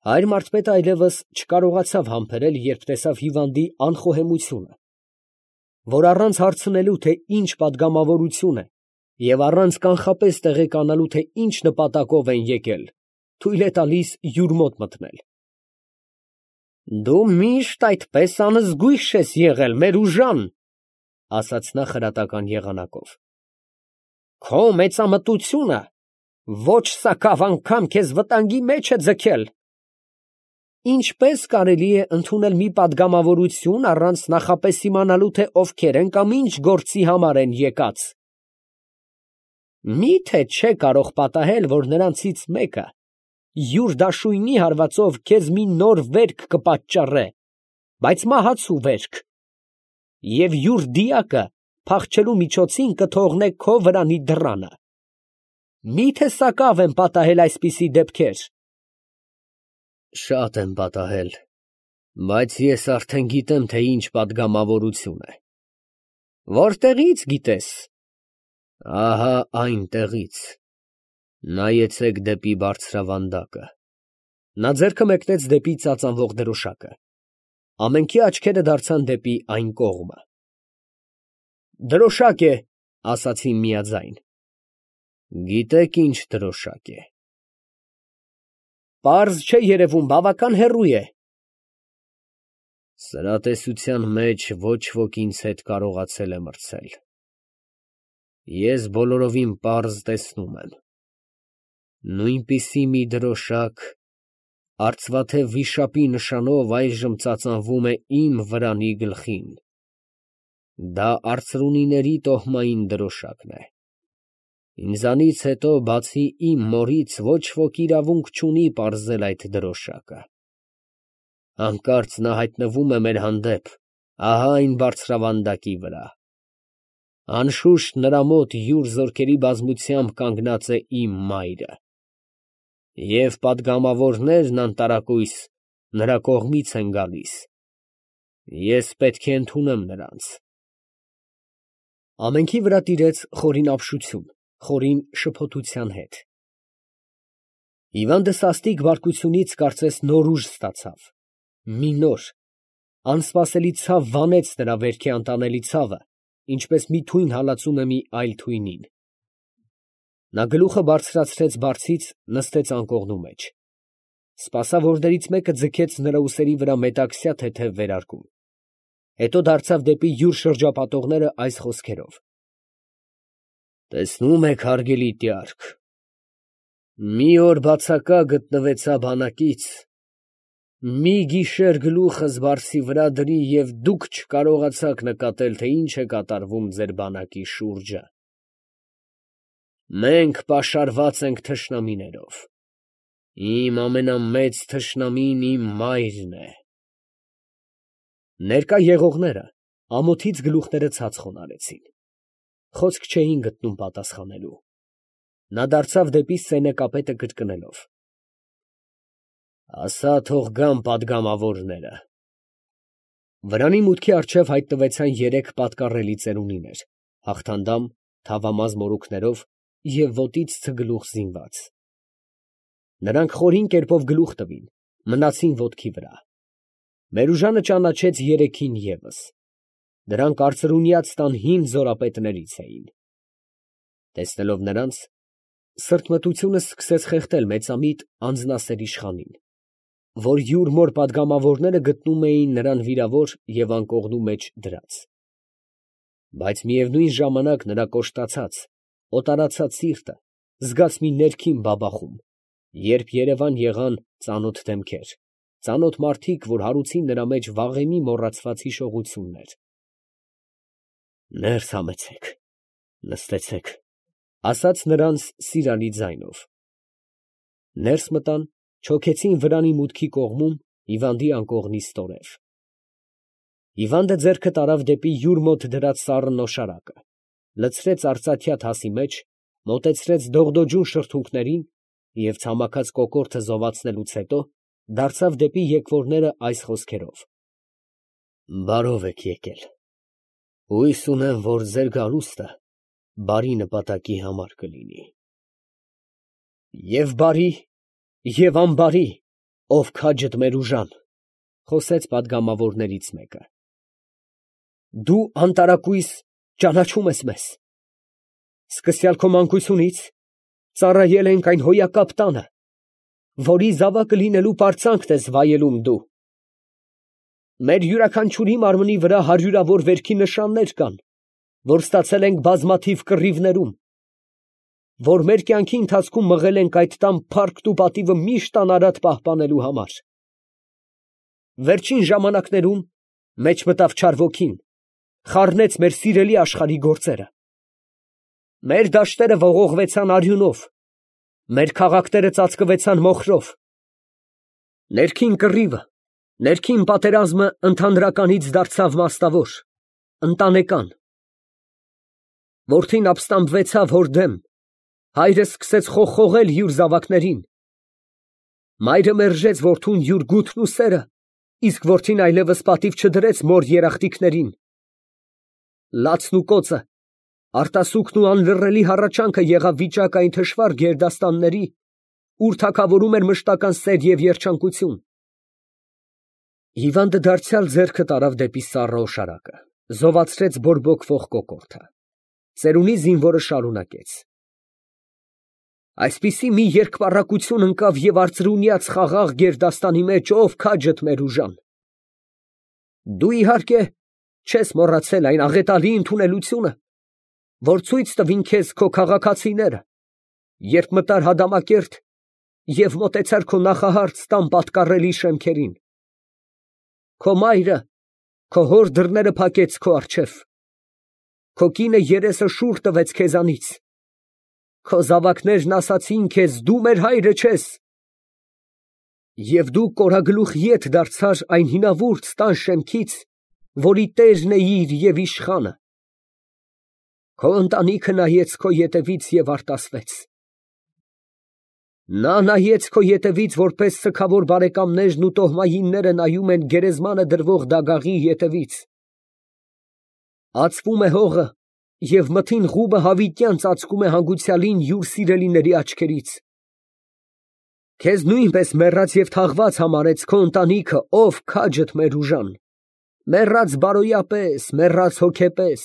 Հայր մարզպետը այլևս չկարողացավ համբերել, երբ տեսավ հիվանդի անխոհեմությունը, որ առանց հարցնելու, թե ինչ պատգամավորություն է, և առանց կանխապես տեղեկանալու, թե ինչ նպատակով են եկել, թույլ է տալիս յուր մոտ մտնել։ «Դու միշտ այդպես անզգույշ ես եղել, Մերուժան, ֊ ասաց նա խրատական եղանակով, ֊ քո մեծամտությունը ոչ սակավ անգամ քեզ վտանգի մեջ է ձգել։ Ինչպե՞ս կարելի է ընդունել մի պատգամավորություն, առանց նախապես իմանալու, թե ովքեր են կամ ինչ գործի համար են եկած։ Մի՞թե չէ կարող պատահել, որ նրանցից մեկը յուր դաշույնի հարվածով քեզ մի նոր վերք կպատճառե, բայց մահացու վերք, և յուր դիակը փախչելու միջոցին կթողնե քո վրանի դռանը։ Մի՞թե սակավ են պատահել այսպիսի դեպքեր։ Շատ են պատահել, բայց ես արդեն գիտեմ, թե ինչ պատգամավորություն է։ Որտեղի՞ց գիտես։ Ահա այնտեղից։ Նայեցեք դեպի բարձրավանդակը։ Նա ձեռքը մեկնեց դեպի ծածանվող դրոշակը։ Ամենքի աչքերը դարձան դեպի այն կողմը։ Դրոշակ է, ասացին միաձայն։ Գիտեք ինչ դրոշակ է։ Պարզ չէ երևում, բավական հեռու է։ Սրա տեսության մեջ ոչ ոք ինձ հետ կարողացել է մրցել։ Ես բոլորովին պարզ տեսնում եմ։ Նույնպիսի մի դրոշակ արծվաթև վիշապի նշանով այժմ ծածանվում է իմ վրանի գլխին։ Դա արծրունիների տոհմային դրոշակն է։ Ինձանից հետո, բացի իմ մորից, ոչ ոք իրավունք չունի պարզել այդ դրոշակը։ Հանկարծ նա հայտնվում է մեր հանդեպ, ահա այն բարձրավանդակի վրա։ Անշուշտ նրա մոտ յուր զորքերի բազմությամբ կանգնած է իմ մայրը։ Եվ պատգամավորներն անտարակույս նրա կողմից են գալիս։ Ես պետք է ընդունեմ նրանց։ Ամենքի վրա տիրեց խորին ապշություն, խորին շփոթության հետ։ Հիվանդը սաստիկ բարկությունից կարծես նոր ուժ ստացավ։ Մի նոր, անսպասելի ցավ վանեց նրա վերքի անտանելի ցավը, ինչպես մի թույն հալածում է մի այլ թույնին։ Նա գլուխը բարձրացրեց բարձից, նստեց անկողնու մեջ։ Սպասավորներից մեկը ձգեց նրա ուսերի վրա մետաքսյա թեթև վերարկուն։ Հետո դարձավ դեպի յուր շրջապատողները այս խոսքերով. Տեսնում եք, հարգելի տյարք, մի օր բացակա գտնվեցա բանակից, մի գիշեր գլուխս բարձի վրա դրի և դուք չկարողացաք նկատել, թե ինչ է կատարվում ձեր բանակի շուրջը։ Մենք պաշարված ենք թշնամիներով։ Իմ ամենամեծ թշնամին իմ մայրն է։ Ներկա եղողները ամոթից գլուխները ցած խոնարհեցին։ Խոսք չէին գտնում պատասխանելու։ Նա դարձավ դեպի սենեկապետը կրկնելով. Ասա թող գան պատգամավորները։ Վրանի մուտքի առջև հայտնվեցան երեք պատկառելի ծերունիներ, հաղթանդամ, թավամազ մորուքներով և ոտից ցգլուխ զինված։ Նրանք խորին կերպով գլուխ տվին, մնացին ոտքի վրա։ Մերուժանը ճանաչեց երեքին ևս։ Դրանք արծրունյաց տան հին զորապետներից էին։ Տեսնելով նրանց, սրտմտությունը սկսեց խեղդել մեծամիտ անձնասեր իշխանին, որ յուր մոր պատգամավորները գտնում էին նրան վիրավոր և անկողնու մեջ դրած։ Բայց միևնույն ժամանակ նրա կոշտացած, օտարացած սիրտը զգաց մի ներքին բաբախում, երբ երևան եղան ծանոթ դեմքեր, ծանոթ մարդիկ, որ հարուցին նրա մեջ վաղեմի մոռացված հիշողություններ։ Ներս համեցեք, նստեցեք, ասաց նրանց սիրալի ձայնով։ Ներս մտան, չոքեցին վրանի մուտքի կողմում հիվանդի անկողնի ստորև։ Հիվանդը ձեռքը տարավ դեպի յուր մոտ դրած սառն նոշարակը, լցրեց արծաթյա թասի մեջ, մոտեցրեց դողդոջուն շրթունքներին և ցամաքած կոկորդը զովացնելուց հետո դարձավ դեպի եկվորները այս խոսքերով. Բարով եք եկել։ Հույս ունեմ, որ ձեր գալուստը բարի նպատակի համար կլինի։ Եվ բարի, և անբարի, Ով քաջդ մեր ուժան, խոսեց պատգամավորներից մեկը։ Դու անտարակույս ճանաչում ես մեզ։ Սկսյալ քո մանկությունից ծառայել ենք այն հոյակապ տանը, որի զավակը լինելու պարծանքն ես վայելում դու։ Մեր յուրաքանչյուրի մարմնի վրա հարյուրավոր վերքի նշաններ կան, որ ստացել ենք բազմաթիվ կռիվներում, որ մեր կյանքի ընթացքում մղել ենք այդ տան փառքն ու պատիվը միշտ անարատ պահպանելու համար։ Վերջին ժամանակներում մեջ մտավ չար ոգին, խառնեց մեր սիրելի աշխարհի գործերը։ Մեր դաշտերը ողողվեցան արյունով, մեր քաղաքները ծածկվեցան մոխրով։ Ներքին կռիվը, ներքին պատերազմը ընդհանրականից դարձավ մասնավոր, ընտանեկան։ Որդին ապստամբվեցավ հոր դեմ, հայրը սկսեց խոխողել յուր զավակներին։ Մայրը մերժեց որդուն յուր գութն ու սերը, իսկ որդին այլևս պատիվ չդրեց մոր երախտիկներին։ Լացն ու կոծը, արտասուքն ու անլռելի հառաչանքը եղավ վիճակ այն թշվառ գերդաստանների, ուր թագավորում էր մշտական սեր և երջանկություն։ Հիվանդը դարձյալ ձեռքը տարավ դեպի սառը օշարակը, զովացրեց բորբոքվող կոկորդը։ Ծերունի զինվորը շարունակեց. Այսպիսի մի երկպառակություն ընկավ և արծրունյաց խաղաղ գերդաստանի մեջ, ով քաջդ մեր ուժան։ Դու իհարկե չես մոռացել այն աղետալի ընդունելությունը, որ ցույց տվին քեզ քո քաղաքացիները, երբ մտար Հադամակերտ և մոտեցար քո նախահարց տան պատկառելի շեմքերին։ Քո մայրը քո հոր դռները փակեց քո առջև, քո կինը երեսը շուռ տվեց քեզանից, քո զավակներն ասացին քեզ, դու մեր հայրը չես, և դու կորագլուխ ետ դարձար այն հինավուրց տան շեմքից, որի տերն էիր և իշխանը։ Քո ընտանիքը նայեց քո ետևից և արտասվեց։ Նա նայեց քո ետևից, որպես սգավոր բարեկամներն ու տոհմայինները նայում են գերեզմանը դրվող դագաղի ետևից։ Ածվում է հողը, և մթին ղուբը հավիտյան ծածկում է հանգուցյալին յուր սիրելիների աչքերից։ Քեզ նույնպես մեռած և թաղված համարեց քո ընտանիքը, ով քաջդ մեր ուժան, մեռած բարոյապես, մեռած հոգեպես։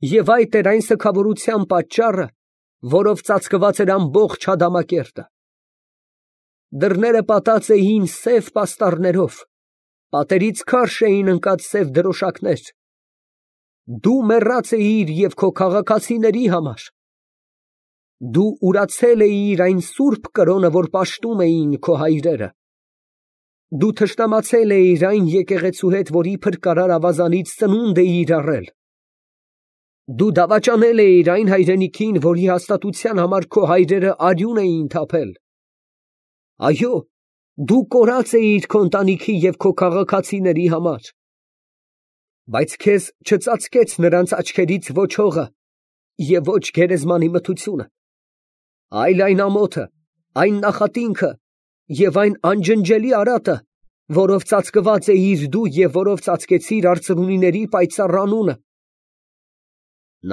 Եվ այդ էր այն սգավորության պատճառը, որով ծածկված էր ամբողջ Հադամակերտը։ Դռները պատած էին սև պաստառներով, պատերից քարշ էին ընկած սև դրոշակներ։ Դու մեռած էիր և քո քաղաքացիների համար։ Դու ուրացել էիր այն սուրբ կրոնը, որ պաշտում էին քո հայրերը։ Դու թշնամացել էիր այն եկեղեցու հետ, որի փրկարար ավազանից ծնունդ էիր առել։ Դու դավաճանել էիր այն հայրենիքին, որի հաստատության համար քո հայրերը արյուն էին թափել։ Այո, դու կորած էիր քո ընտանիքի և քո քաղաքացիների համար։ Բայց քեզ չծածկեց նրանց աչքերից ոչ հողը և ոչ գերեզմանի մթությունը, այլ այն ամոթը, այն նախատինքը և այն անջնջելի արատը, որով ծածկված էիր դու և որով ծածկեցիր արծրունիների պայծառ անունը։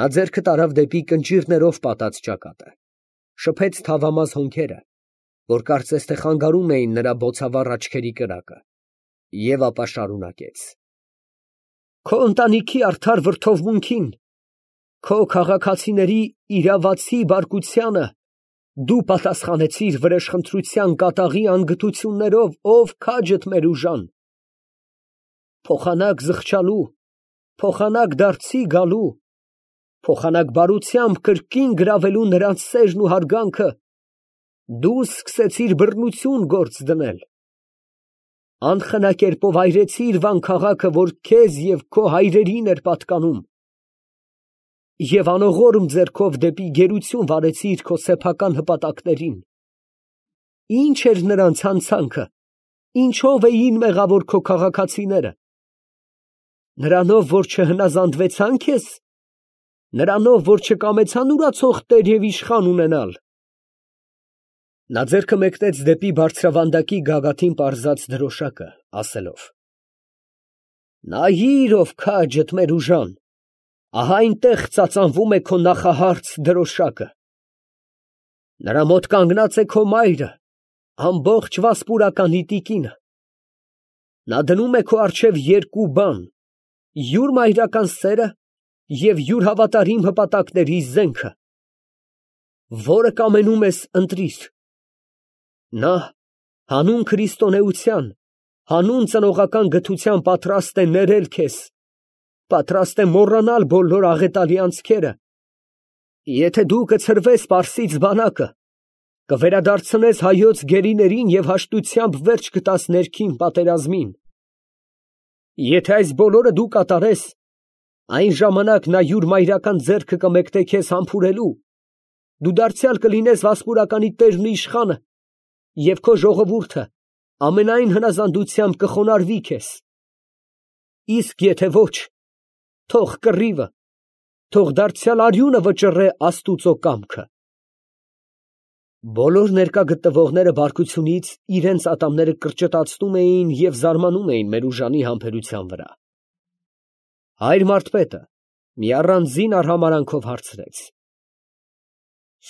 Նա ձեռքը տարավ դեպի կնճիռներով պատած ճակատը, շփեց թավամաս հոնքերը, որ կարծես թե խանգարում էին նրա բոցավառ աչքերի կրակը, և ապա շարունակեց. Քո ընտանիքի արդար վրդովմունքին, քո քաղաքացիների իրավացի բարկությանը դու պատասխանեցիր վրեժխնդրության կատաղի անգթություններով, ով քաջդ մեր ուժան։ Փոխանակ զղջալու, փոխանակ դարձի գալու, փոխանակ բարությամբ կրկին գրավելու նրանց սերն ու հարգանքը, դու սկսեցիր բռնություն գործ դնել։ Անխնա կերպով այրեցիր Վան քաղաքը, որ քեզ և քո հայրերին էր պատկանում, և անողորմ ձեռքով դեպի գերություն վարեցիր քո սեփական հպատակներին։ Ի՞նչ էր նրանց հանցանքը, ինչո՞վ էին մեղավոր քո քաղաքացիները։ Նրանով, որ չհնազանդվեցան քեզ, նրանով, որ չկամեցան ուրացող տեր և իշխան ունենալ։ Նա ձեռքը մեկնեց դեպի բարձրավանդակի գագաթին պարզած դրոշակը, ասելով. Նայիր, ով քաջդ մեր ուժան, ահա այնտեղ ծածանվում է քո նախահարց դրոշակը։ Նրա մոտ կանգնած է քո մայրը, ամբողջ Վասպուրականի տիկինը։ Նա դնում է քո առջև երկու բան. յուր մայրական սերը և յուր հավատարիմ հպատակների զենքը։ Որը կամենում ես, ընտրիր։ Նա հանուն քրիստոնեության, հանուն ծնողական գթության պատրաստ է ներել քեզ, պատրաստ է մոռանալ բոլոր աղետալի անցքերը։ Եթե դու կցրվես Պարսից բանակը, կվերադարձնես հայոց գերիներին և հաշտությամբ վերջ կտաս ներքին պատերազմին։ Եթե այս բոլորը դու կատարես, այն ժամանակ նա յուր մայրական ձեռքը կմեկնե քեզ համբուրելու, դու դարձյալ կլինես Վասպուրականի տերն ու իշխանը, և քո ժողովուրդը ամենայն հնազանդությամբ կխոնարհվի քեզ։ Իսկ եթե ոչ, թող կռիվը, թող դարձյալ արյունը վճռե Աստուծո կամքը։ Բոլոր ներկա գտնվողները բարկությունից իրենց ատամները կրճտացնում էին և զարմանում էին Մերուժանի համբերության վրա։ Հայր մարդպետը մի առանձին արհամարհանքով հարցրեց.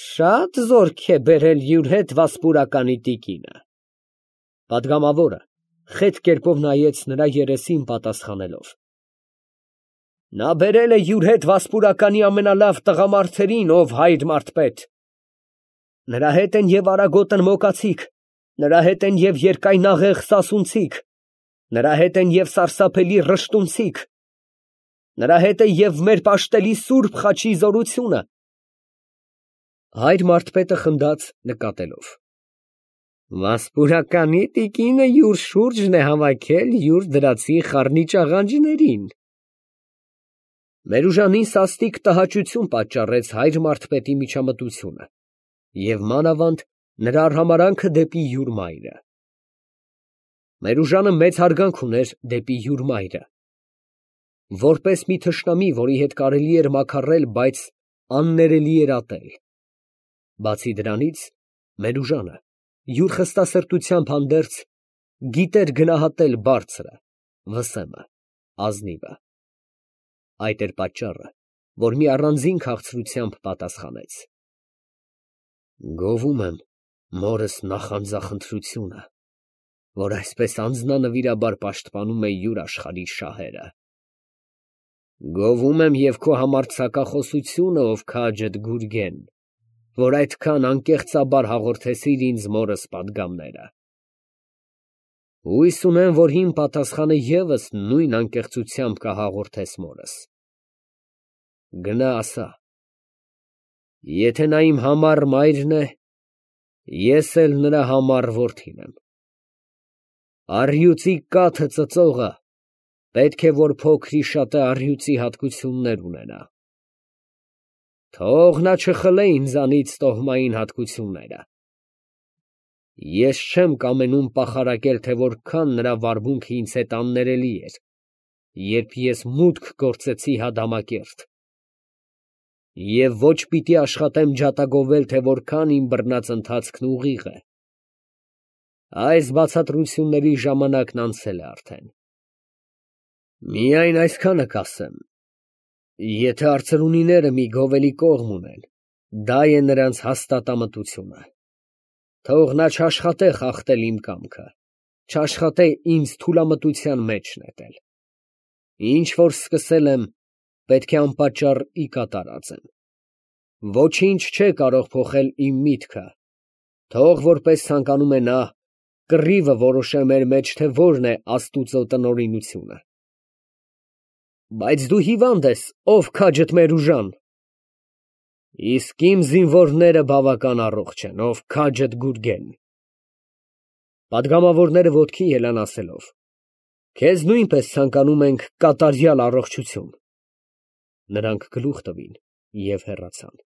Շատ զորք է բերել յուր հետ Վասպուրականի տիկինը։ Պատգամավորը խետ կերպով նայեց նրա երեսին պատասխանելով. Նա բերել է յուր հետ Վասպուրականի ամենալավ տղամարդերին, ով հայր մարդպետ։ Նրա հետ են և արագոտն մոկացիք, նրա հետ են և երկայնաղեղ սասունցիք, նրա հետ են և սարսափելի ռշտունցիք, նրա հետ է և մեր պաշտելի սուրբ խաչի զորությունը։ Հայր մարդպետը խնդաց նկատելով. Վասպուրականի տիկինը յուր շուրջն է հավաքել յուր դրացի խառնիչ աղանջներին։ Մերուժանին սաստիկ տհաճություն պատճառեց հայր մարդպետի միջամտությունը և մանավանդ նրա արհամարհանքը դեպի յուր մայրը։ Մերուժանը մեծ հարգանք ուներ դեպի յուր մայրը, որպես մի թշնամի, որի հետ կարելի էր մաքարrել, բայց աններելի էր ատել։ Բացի դրանից, Մերուժանը յուր խստասրտությամբ հանդերձ գիտեր գնահատել բարձրը, վսեմը, ազնիվը։ Այդ էր պատճառը, որ մի առանձին քաղցրությամբ պատասխանեց. Գովում եմ մորս նախանձախնդրությունը, որ այսպես անձնանվիրաբար պաշտպանում է յուր աշխարհի շահերը։ Գովում եմ և քո համարձակախոսությունը, ով քաջդ Գուրգեն, որ այդքան անկեղծաբար հաղորդեցիր ինձ մորս պատգամները։ Հույս ունեմ, որ իմ պատասխանը ևս նույն անկեղծությամբ կհաղորդես մորս։ Գնա ասա. եթե նա իմ համառ մայրն է, ես էլ նրա համառ որդին եմ։ Առյուծի կաթը ծծողը պետք է որ փոքր-ի-շատը առյուծի հատկություններ ունենա։ Թող նա չխլե ինձանից տոհմային հատկությունները։ Ես չեմ կամենում պախարակել, թե որքան նրա վարմունքը ինձ հետ աններելի էր, երբ ես մուտք գործեցի Հադամակերտ, և ոչ պիտի աշխատեմ ջատագովել, թե որքան իմ բռնած ընթացքն ուղիղ է։ Այս բացատրությունների ժամանակն անցել է արդեն։ Միայն այսքանը կասեմ. եթե արծրունիները մի գովելի կողմ ունեն, դա է նրանց հաստատամտությունը։ Թող նա չաշխատե խախտել իմ կամքը, չաշխատե ինձ թուլամտության մեջ նետել։ Ինչ որ սկսել եմ, պետք է անպատճառ ի կատար ածեմ։ Ոչինչ չէ կարող փոխել իմ միտքը, թող որպես ցանկանում է նա, կռիվը որոշե մեր մեջ, թե որն է Աստուծո տնօրինությունը։ Բայց դու հիվանդ ես, ով քաջդ Մերուժան։ Իսկ իմ զինվորները բավական առողջ են, ով քաջդ Գուրգեն։ Պատգամավորները ոտքի ելան ասելով. Քեզ նույնպես ցանկանում ենք կատարյալ առողջություն։ Նրանք գլուխ տվին և հեռացան։